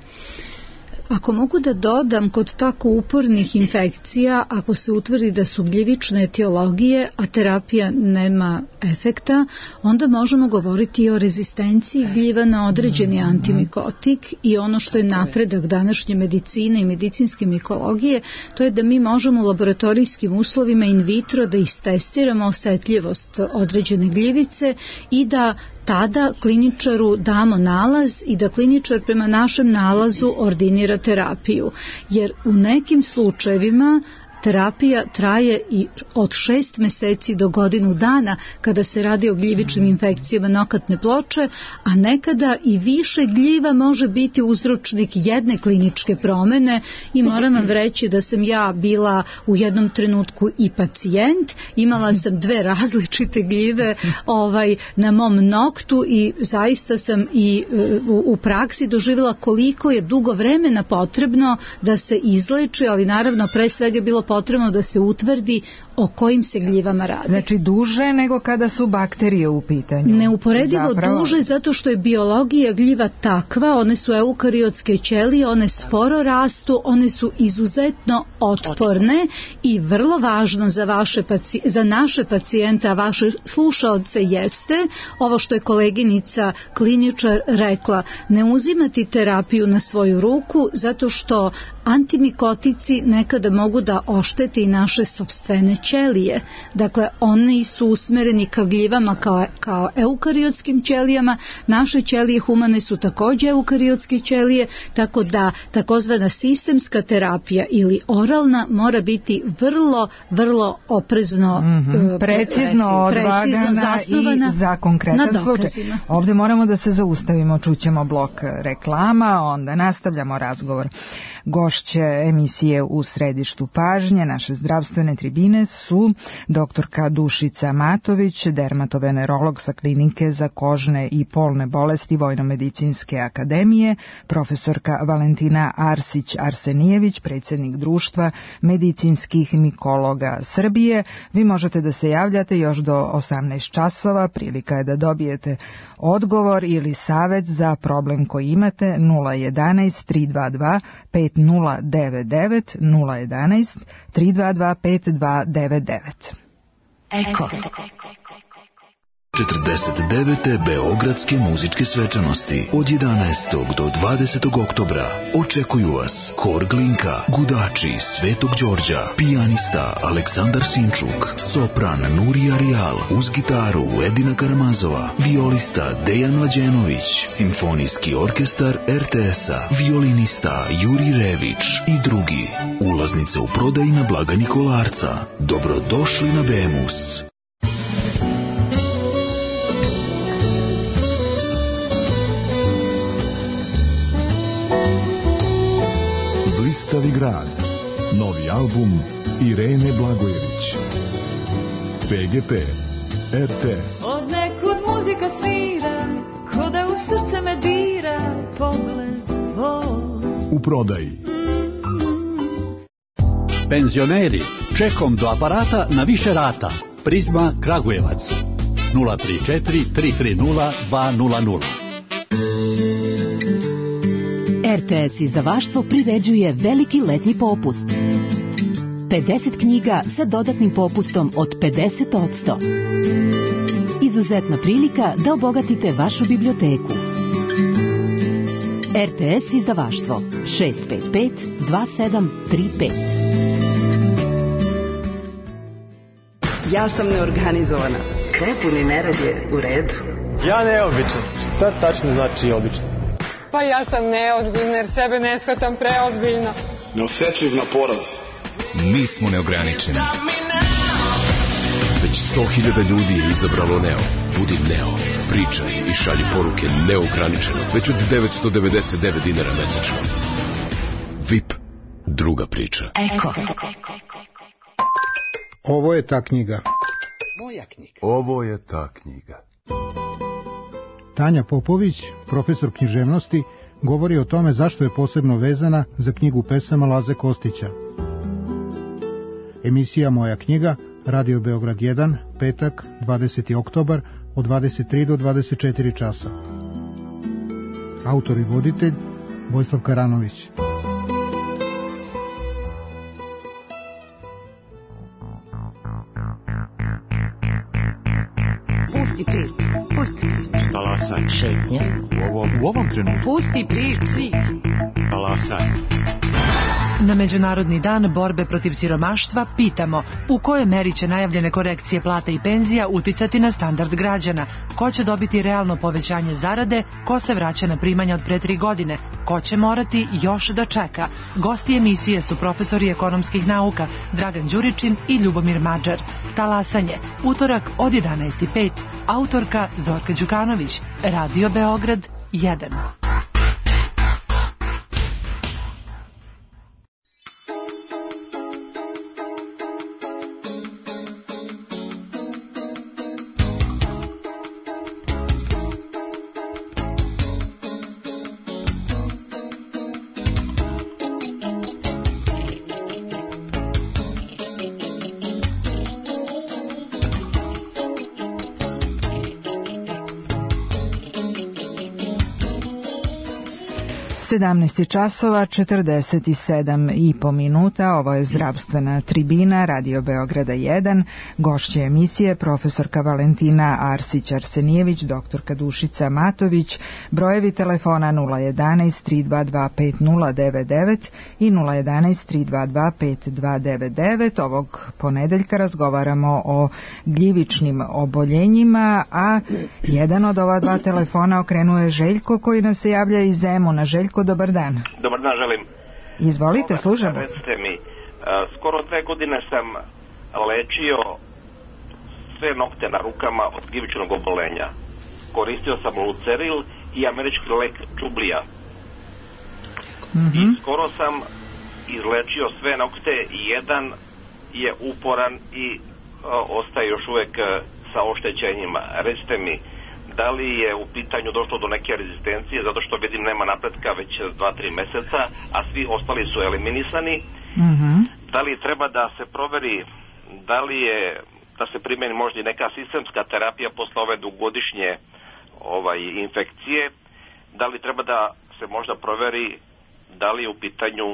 Ako mogu da dodam, kod tako upornih infekcija, ako se utvrdi da su gljivične etiologije, a terapija nema efekta, onda možemo govoriti i o rezistenciji gljiva na određeni antimikotik i ono što je napredak današnje medicine i medicinske mikologije, to je da mi možemo u laboratorijskim uslovima in vitro da istestiramo osetljivost određene gljivice i da tada kliničaru damo nalaz i da kliničar prema našem nalazu ordinira terapiju. Jer u nekim slučajevima terapija traje i od 6 meseci do godinu dana kada se radi o gljivičnim infekcijama nokatne ploče, a nekada i više gljiva može biti uzročnik jedne kliničke promene i moram vam reći da sam ja bila u jednom trenutku i pacijent, imala sam 2 različite gljive na mom noktu i zaista sam i u praksi doživjela koliko je dugo vremena potrebno da se izleči, ali naravno pre svega je bilo potrebno da se utvrdi o kojim se gljivama radi. Znači duže nego kada su bakterije u pitanju. Neuporedivo duže zato što je biologija gljiva takva, one su eukariotske ćelije, one sporo rastu, one su izuzetno otporne i vrlo važno za naše pacijente, a vaše slušaoce jeste, ovo što je koleginica kliničar rekla, ne uzimati terapiju na svoju ruku zato što antimikotici nekada mogu da oštete i naše sopstvene ćelije. Dakle, oni su usmereni ka gljivama kao eukariotskim ćelijama, naše ćelije humane su također eukariotske ćelije, tako da takozvana sistemska terapija ili oralna mora biti vrlo, vrlo oprezno precizno odvagana zasnovana i za konkretan slučaj. Ovdje moramo da se zaustavimo, čućemo blok reklama, onda nastavljamo razgovor. Gošće emisije U središtu pažnje, naše zdravstvene tribine su doktorka Dušica Matović, dermatovenerolog sa klinike za kožne i polne bolesti Vojno-medicinske akademije, profesorka Valentina Arsić-Arsenijević, predsjednik Društva medicinskih mikologa Srbije. Vi možete da se javljate još do 18 časova, prilika je da dobijete odgovor ili savet za problem koji imate 011 322 5099 011 322 5299. Eko. 49. Beogradske muzičke svečanosti od 11. do 20. oktobra očekuju vas Hor Glinka, Gudači Svetog Đorđa, pijanista Aleksandar Sinčuk, sopran Nurija Rijal, uz gitaru Edina Karamazova, violista Dejan Mlađenović, simfonijski orkestar RTS-a, violinista Juri Rević i drugi. Ulaznice u prodaji na blagajni Kolarca. Dobrodošli na Bemus. Blistavi grad. Novi album Irene Blagojević. PGP RTS. Od nekud muzika svira, ko da u srce me dira pogled tvoj. U prodaji. Penzioneri, čekom do aparata na više rata. Prizma Kragujevac 034 330 200. RTS izdavaštvo priređuje veliki letnji popust. 50 knjiga sa dodatnim popustom od 50%. Izuzetna prilika da obogatite vašu biblioteku. RTS izdavaštvo 655 2735. Ja sam neorganizovana. Prepuni nerad je u redu. Ja neobičan. Šta tačno znači obično? Pa ja sam neozbiljna jer sebe ne shvatam preozbiljno. Neosetljiv na poraz. Mi smo neograničeni. Već 100.000 ljudi je izabralo Neo. Budi Neo. Pričaj i šalji poruke neograničeno. Već od 999 dinara mesečno. VIP. Druga priča. Eko. Ovo je ta knjiga. Moja knjiga. Ovo je ta knjiga. Tanja Popović, profesor književnosti, govori o tome zašto je posebno vezana za knjigu pesama Laze Kostića. Emisija Moja knjiga, Radio Beograd 1, petak, 20. oktobar, od 23 do 24 časa. Autor i voditelj, Vojislav Karanović. Pusti priču. Talasanje. Šetnja. U ovom trenutku. Pusti priču. Talasanje. Na Međunarodni dan borbe protiv siromaštva pitamo u kojoj meri će najavljene korekcije plata i penzija uticati na standard građana, ko će dobiti realno povećanje zarade, ko se vraća na primanja od pre 3 godine, ko će morati još da čeka. Gosti emisije su profesori ekonomskih nauka Dragan Đuričin i Ljubomir Mađar. Talasanje, utorak od 11:05, autorka Zorka Đukanović, Radio Beograd 1. časova 47,5 minuta. Ovo je zdravstvena tribina Radio Beograda 1. Gošće emisije profesorka Valentina Arsić-Arsenijević, doktorka Dušica Matović. Brojevi telefona 011 322 5099 i 011 322 5299. Ovog ponedeljka razgovaramo o gljivičnim oboljenjima, a jedan od ova dva telefona okrenuo je Željko koji nam se javlja iz Zemuna. Željko, dobar dan. Dobar dan, želim. Izvolite, služamo. Recite mi, skoro 2 godine sam lečio sve nokte na rukama od gljivičnog obolenja. Koristio sam Luceril i američki lek Džublija. I skoro sam izlečio sve nokte i jedan je uporan i ostaje još uvek sa oštećenjima. Recite mi, da li je u pitanju došlo do neke rezistencije, zato što vidim nema napretka već 2-3 meseca, a svi ostali su eliminisani. Da li treba da se proveri, da li je, da se primeni možda i neka sistemska terapija posle ove dugogodišnje infekcije, da li treba da se možda proveri da li je u pitanju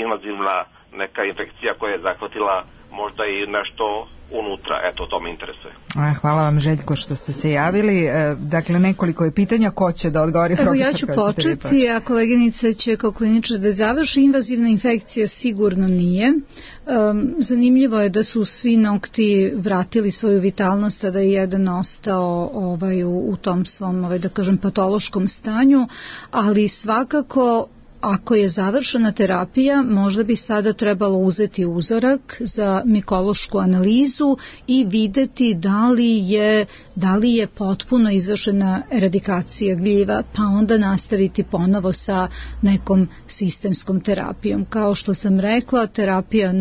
invazivna neka infekcija koja je zahvatila možda i nešto unutra, eto, to me interesuje. Hvala vam, Željko, što ste se javili. Dakle, nekoliko je pitanja, ko će da odgovori? Evo, ja ću početi, a koleginica će kao kliničar da završi. Invazivna infekcija sigurno nije. Zanimljivo je da su svi nokti vratili svoju vitalnost, a da je jedan ostao u tom svom, da kažem, patološkom stanju, ali svakako ako je završena terapija, možda bi sada trebalo uzeti uzorak za mikološku analizu i videti da li je potpuno izvršena eradikacija gljiva, pa onda nastaviti ponovo sa nekom sistemskom terapijom. Kao što sam rekla, terapija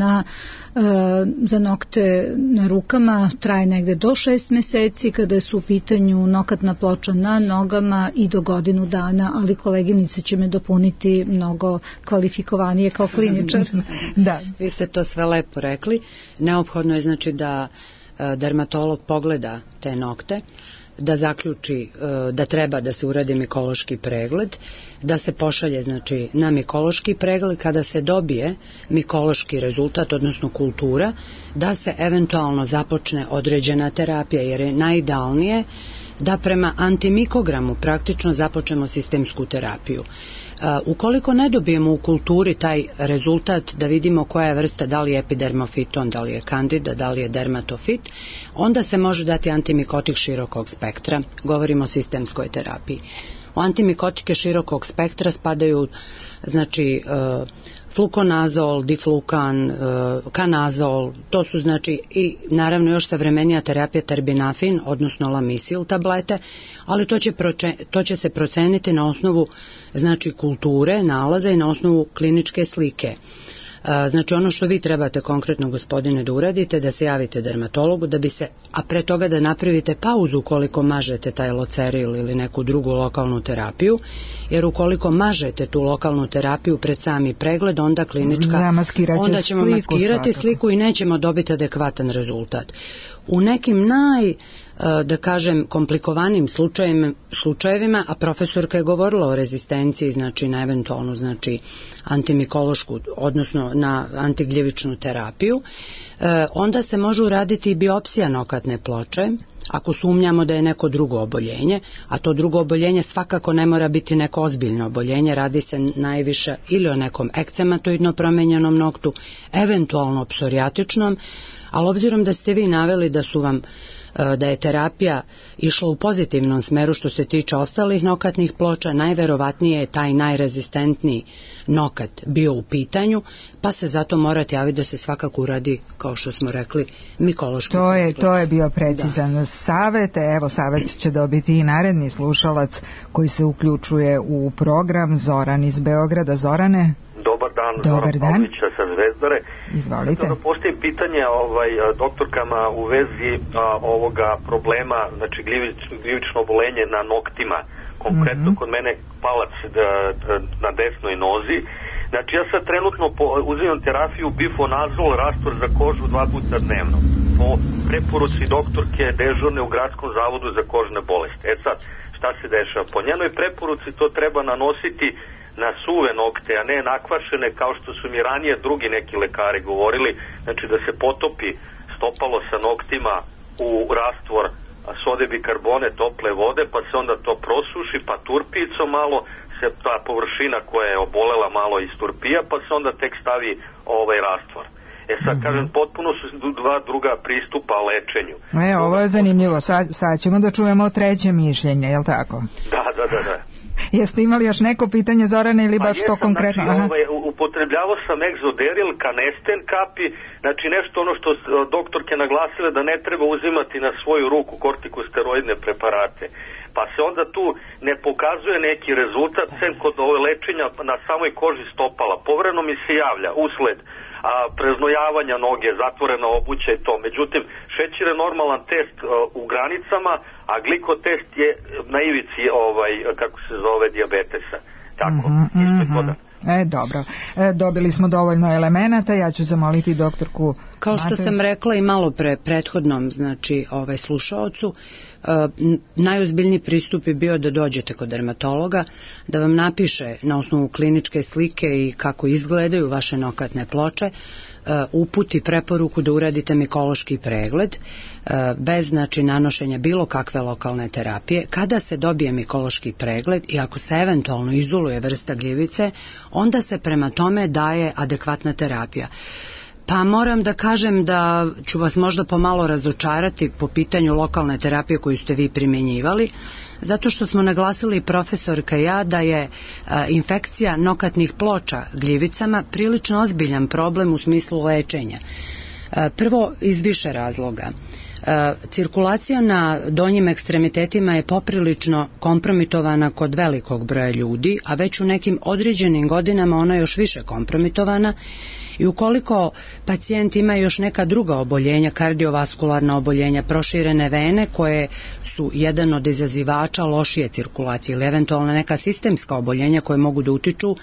za nokte na rukama traje negde do 6 meseci, kada su u pitanju nokatna ploča na nogama i do godinu dana, ali koleginice će me dopuniti mnogo kvalifikovanije kao kliničar. Da. Vi ste to sve lepo rekli. Neophodno je znači da dermatolog pogleda te nokte, da zaključi da treba da se uradi mikološki pregled, da se pošalje znači na mikološki pregled, kada se dobije mikološki rezultat, odnosno kultura, da se eventualno započne određena terapija, jer je najidealnije da prema antimikogramu praktično započnemo sistemsku terapiju. Ukoliko ne dobijemo u kulturi taj rezultat da vidimo koja je vrsta, da li je epidermofiton, da li je kandida, da li je dermatofit, onda se može dati antimikotik širokog spektra, govorimo o sistemskoj terapiji. U antimikotike širokog spektra spadaju znači flukonazol, diflukan, kanazol, to su znači i naravno još savremenija terapija terbinafin, odnosno lamisil tablete, ali to će se proceniti na osnovu znači kulture, nalaza i na osnovu kliničke slike. Znači ono što vi trebate konkretno, gospodine, da uradite, da se javite dermatologu, da bi se, a pre toga da napravite pauzu ukoliko mažete taj loceril ili neku drugu lokalnu terapiju, jer ukoliko mažete tu lokalnu terapiju pred sami pregled, onda klinička, onda ćemo maskirati sliku i nećemo dobiti adekvatan rezultat. U nekim da kažem, komplikovanim slučajevima, a profesorka je govorila o rezistenciji, znači na eventualnu, znači antimikološku, odnosno na antigljivičnu terapiju, onda se može uraditi i biopsija nokatne ploče, ako sumnjamo da je neko drugo oboljenje, a to drugo oboljenje svakako ne mora biti neko ozbiljno oboljenje, radi se najviše ili o nekom ekcematoidno promenjenom noktu, eventualno psorijatičnom, ali obzirom da ste vi naveli da je terapija išla u pozitivnom smeru što se tiče ostalih nokatnih ploča, najverovatnije je taj najrezistentniji nokat bio u pitanju, pa se zato morate javiti da se svakako uradi, kao što smo rekli, mikološki kompleks. To je bio precizan savet. Evo, savet će dobiti i naredni slušalac koji se uključuje u program, Zoran iz Beograda. Zorane? Dobar dan, Zoran Pavlića sa Zvezdare. Izvolite. Da postavim pitanje doktorkama u vezi ovoga problema, znači gljivično obolenje na noktima, konkretno kod mene palac na desnoj nozi. Znači ja sad trenutno uzimam terapiju bifonazol, rastvor za kožu 2 puta dnevno, po preporuci doktorke dežurne u Gradskom zavodu za kožne bolesti. Sad, šta se dešava? Po njenoj preporuci to treba nanositi na suve nokte, a ne nakvašene, kao što su mi ranije drugi neki lekari govorili, znači da se potopi stopalo sa noktima u rastvor sode bikarbone tople vode, pa se onda to prosuši, pa turpicom malo se ta površina koja je obolela malo isturpija, pa se onda tek stavi rastvor. Sad kažem, potpuno su 2 druga pristupa lečenju. Ovo je zanimljivo, sad ćemo da čujemo treće mišljenje, je li tako? Da. Jeste imali još neko pitanje, Zorane, ili baš to konkretno? Znači, upotrebljavao sam egzoderil, kanesten kapi, znači nešto ono što doktorke naglasile da ne treba uzimati na svoju ruku kortikosteroidne preparate. Pa se onda tu ne pokazuje neki rezultat, sem kod ove lečenja na samoj koži stopala. Povremeno mi se javlja usled preznojavanja noge, zatvorena obuća i to. Međutim, šećer je normalan test u granicama, a glikotest je na ivici, kako se zove, dijabetesa. Tako, dobro. Dobili smo dovoljno elemenata, ja ću zamoliti doktorku. Kao što sam rekla i malo prethodnom, znači, slušaocu, najozbiljniji pristup je bio da dođete kod dermatologa, da vam napiše na osnovu kliničke slike i kako izgledaju vaše nokatne ploče, uputi preporuku da uradite mikološki pregled bez znači nanošenja bilo kakve lokalne terapije. Kada se dobije mikološki pregled i ako se eventualno izoluje vrsta gljivice, onda se prema tome daje adekvatna terapija. Pa moram da kažem da ću vas možda pomalo razočarati po pitanju lokalne terapije koju ste vi primjenjivali, zato što smo naglasili profesorka i ja da je infekcija nokatnih ploča gljivicama prilično ozbiljan problem u smislu lečenja. Prvo, iz više razloga. Cirkulacija na donjim ekstremitetima je poprilično kompromitovana kod velikog broja ljudi, a već u nekim određenim godinama ona je još više kompromitovana. I ukoliko pacijent ima još neka druga oboljenja, kardiovaskularna oboljenja, proširene vene koje su jedan od izazivača lošije cirkulacije ili eventualno neka sistemska oboljenja koje mogu da utiču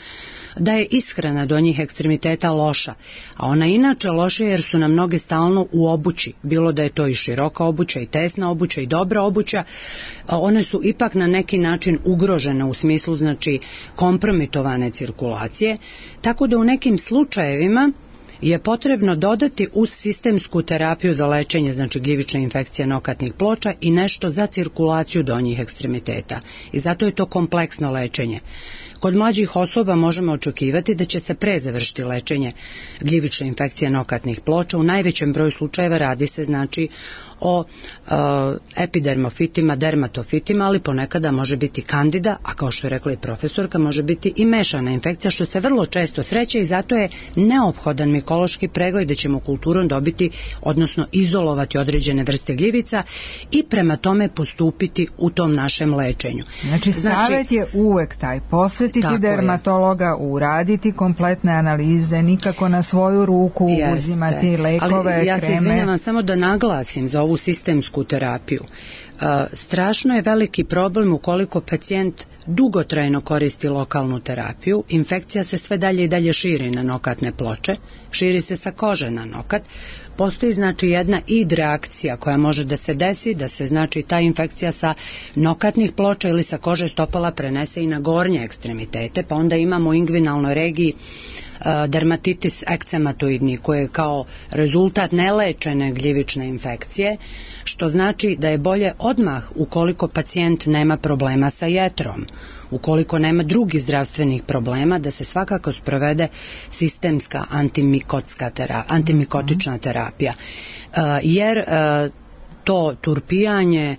da je ishrana donjih ekstremiteta loša, a ona inače loša jer su nam noge stalno u obući, bilo da je to i široka obuća i tesna obuća i dobra obuća, one su ipak na neki način ugrožene u smislu znači kompromitovane cirkulacije, tako da u nekim slučajevima je potrebno dodati uz sistemsku terapiju za lečenje, znači gljivične infekcije nokatnih ploča i nešto za cirkulaciju donjih ekstremiteta. I zato je to kompleksno lečenje. Kod mlađih osoba možemo očekivati da će se pre završiti lečenje gljivične infekcije nokatnih ploča. U najvećem broju slučajeva radi se znači o epidermofitima, dermatofitima, ali ponekada može biti kandida, a kao što je rekla i profesorka, može biti i mešana infekcija, što se vrlo često sreće i zato je neophodan mikološki pregled da ćemo kulturom dobiti, odnosno izolovati određene vrste gljivica i prema tome postupiti u tom našem lečenju. Znači savjet je uvek taj, posjetiti dermatologa, uraditi kompletne analize, nikako na svoju ruku uzimati lekove, ali ja kreme. se izvinjavam samo da naglasim za ovu sistemsku terapiju. Strašno je veliki problem ukoliko pacijent dugotrajno koristi lokalnu terapiju, infekcija se sve dalje i dalje širi na nokatne ploče, širi se sa kože na nokat, postoji znači jedna id reakcija koja može da se desi, da se znači ta infekcija sa nokatnih ploča ili sa kože stopala prenese i na gornje ekstremitete, pa onda imamo u ingvinalnoj regiji dermatitis ekcematoidni koji je kao rezultat nelečene gljivične infekcije, što znači da je bolje odmah ukoliko pacijent nema problema sa jetrom, ukoliko nema drugih zdravstvenih problema, da se svakako sprovede sistemska antimikotična terapija. Jer to turpijanje,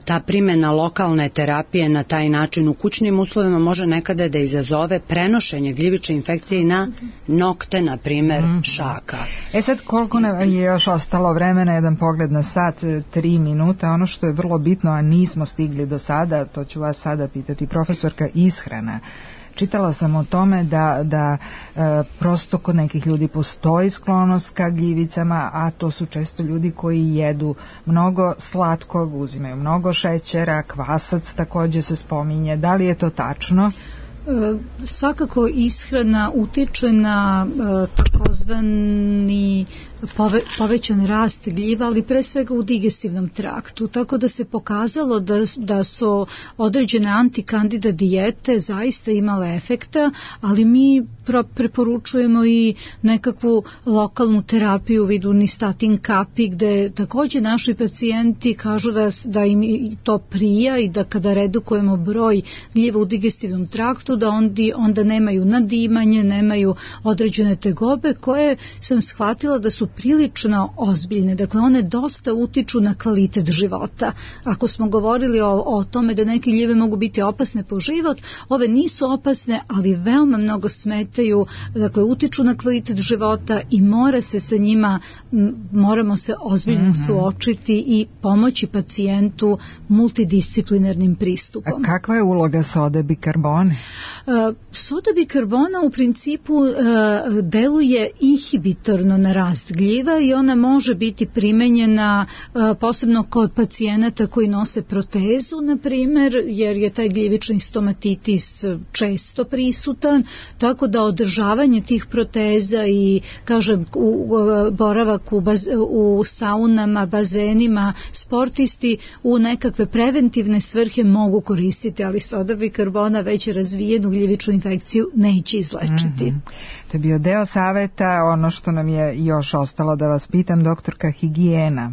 ta primjena lokalne terapije na taj način u kućnim uslovima može nekada da izazove prenošenje gljivične infekcije na nokte, na primjer šaka. Sad koliko nam je još ostalo vremena, jedan pogled na sat, 3 minuta, ono što je vrlo bitno, a nismo stigli do sada, to ću vas sada pitati, profesorka, ishrana. Čitala sam o tome da prosto kod nekih ljudi postoji sklonost ka gljivicama, a to su često ljudi koji jedu mnogo slatkog, uzimaju mnogo šećera, kvasac također se spominje. Da li je to tačno? Svakako ishrana utiče na takozvani povećan rast gljiva, ali pre svega u digestivnom traktu, tako da se pokazalo da su određene antikandida dijete zaista imale efekta, ali mi preporučujemo i nekakvu lokalnu terapiju u vidu nistatin kapi, gde također naši pacijenti kažu da im to prija i da kada redukujemo broj gljiva u digestivnom traktu, da onda nemaju nadimanje, nemaju određene tegobe koje sam shvatila da su prilično ozbiljne. Dakle, one dosta utiču na kvalitet života. Ako smo govorili o tome da neke gljive mogu biti opasne po život, ove nisu opasne, ali veoma mnogo smetaju, dakle, utiču na kvalitet života i mora se sa njima, moramo se ozbiljno suočiti i pomoći pacijentu multidisciplinarnim pristupom. A kakva je uloga sode bikarbone? Soda bikarbona u principu deluje inhibitorno na rast gljiva i ona može biti primenjena posebno kod pacijenata koji nose protezu, na primjer, jer je taj gljivični stomatitis često prisutan, tako da održavanje tih proteza i, kažem, boravak u saunama, bazenima, sportisti u nekakve preventivne svrhe mogu koristiti, ali soda bikarbona već razvijena jednu gljivičnu infekciju neće izlečiti. To je bio deo saveta. Ono što nam je još ostalo da vas pitam, doktorka, higijena.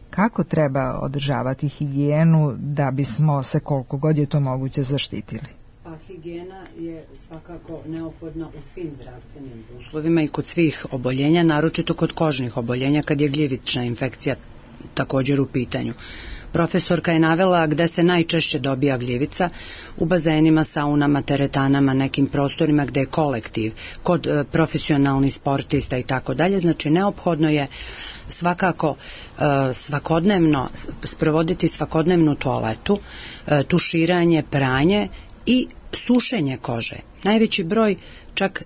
Kako treba održavati higijenu da bismo se koliko god je to moguće zaštitili? Pa higijena je svakako neophodna u svim zdravstvenim uslovima i kod svih oboljenja, naročito kod kožnih oboljenja kad je gljivična infekcija također u pitanju. Profesorka je navela gde se najčešće dobija gljivica: u bazenima, saunama, teretanama, nekim prostorima gde je kolektiv, kod profesionalnih sportista i tako dalje. Znači neophodno je svakako svakodnevno sprovoditi svakodnevnu toaletu, tuširanje, pranje i sušenje kože. Najveći broj, čak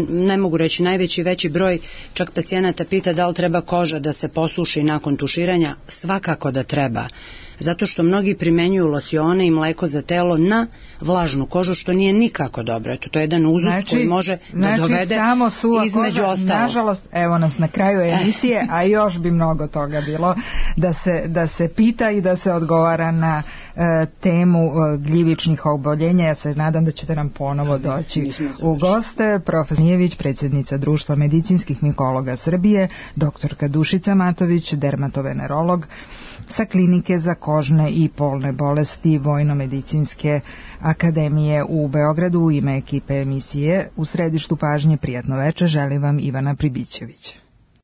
ne mogu reći najveći, veći broj čak pacijenata pita da li treba koža da se posuši nakon tuširanja. Svakako da treba, zato što mnogi primenjuju losione i mleko za telo na vlažnu kožu, što nije nikako dobro. Eto, to je jedan uzust koji može da dovede između ostalo. Nažalost, evo nas na kraju emisije, a još bi mnogo toga bilo da se pita i da se odgovara na temu gljivičnih oboljenja. Ja se nadam da ćete nam ponovo doći u goste. Profesor Nijević, predsjednica Društva medicinskih mikologa Srbije, doktorka Dušica Matović, dermatovenerolog sa klinike za kožne i polne bolesti Vojno-medicinske akademije u Beogradu. U ime ekipe emisije U središtu pažnje, prijatno veče, želim vam Ivana Pribićević.